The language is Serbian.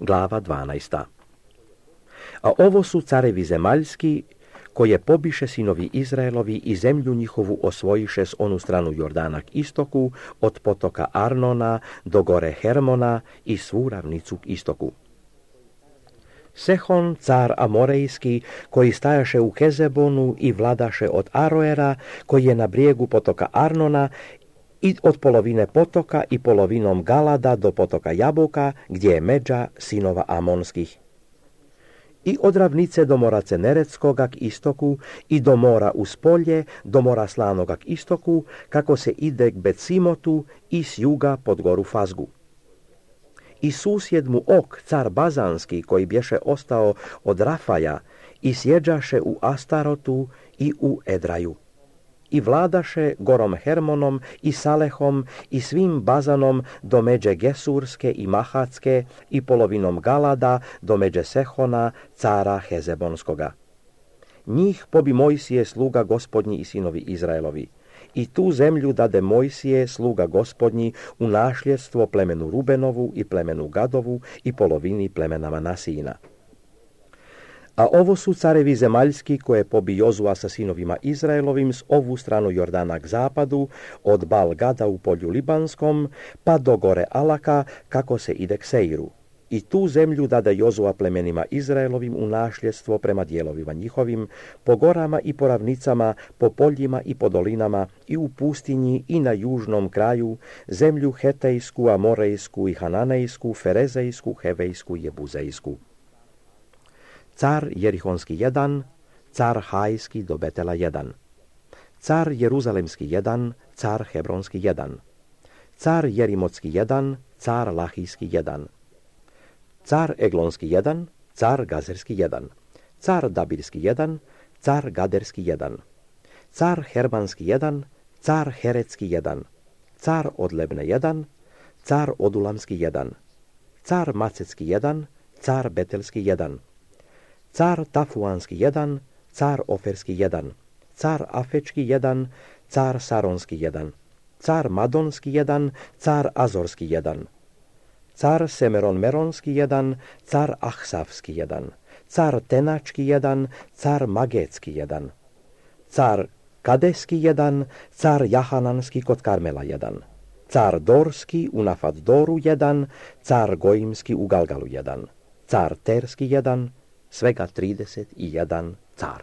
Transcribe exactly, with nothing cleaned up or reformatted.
glava dvanaesta. A ovo su carevi zemaljski, koje pobiše sinovi Izraelovi i zemlju njihovu osvojiše s onu stranu Jordana k istoku, od potoka Arnona do gore Hermona i svu ravnicu k istoku. Sehon, car Amorejski, koji stajaše u Hezebonu i vladaše od Aroera, koji je na brijegu potoka Arnona, i od polovine potoka i polovinom Galada do potoka Jabuka, gdje je međa sinova Amonskih. I od ravnice do mora Ceneretskoga k istoku i do mora uz polje, do mora Slanoga k istoku, kako se ide k Becimotu i s juga pod goru Fazgu. I susjed mu Ok, car Bazanski, koji bješe ostao od Rafaja, i sjeđaše u Astarotu i u Edraju. I vladaše gorom Hermonom i Salehom i svim Bazanom do međe Gesurske i Mahatske i polovinom Galada do međe Sehona, cara Hezebonskoga. Njih pobi Mojsije sluga gospodnji i sinovi Izraelovi. I tu zemlju dade Mojsije sluga gospodnji u nasljedstvo plemenu Rubenovu i plemenu Gadovu i polovini plemena Manasijina. A ovo su carevi zemaljski koje pobi Jozua sa sinovima Izraelovim s ovu stranu Jordana k zapadu, od Bal-Gada u polju Libanskom, pa do gore Alaka, kako se ide k Seiru. I tu zemlju dade Jozua plemenima Izraelovim u nasljedstvo prema dijelovima njihovim, po gorama i po ravnicama, po poljima i po dolinama, i u pustinji i na južnom kraju, zemlju Hetejsku, Amorejsku i Hananejsku, Ferezejsku, Hevejsku i Jebuzejsku. Car Jerihonski jedan, car Hajski do Betela jedan, car Jeruzalemski jedan, car Hebronski jedan, car Jerimotski jedan, car Lahijski jedan, car Eglonski jedan, car Gazerski jedan, car Dabirski jedan, car Gaderski jedan, car Hermanski jedan, car Herecki jedan, car Odlebne jedan, car Odulamski jedan, car Macecki jedan, car Betelski jedan, car Tafuanski jedan, car Oferski jedan, car Afečki jedan, car Saronski jedan, car Madonski jedan, car Azorski jedan, car Semeron Meronski jedan, car Ahsavski jedan, car Tenački jedan, car Magetski jedan, car Kadeski jedan, car Jahananski kod Karmela jedan, car Dorski u Nafat Doru jedan, car Gojimski u Galgalu jedan, car Terski jedan, svega trideset jedan car.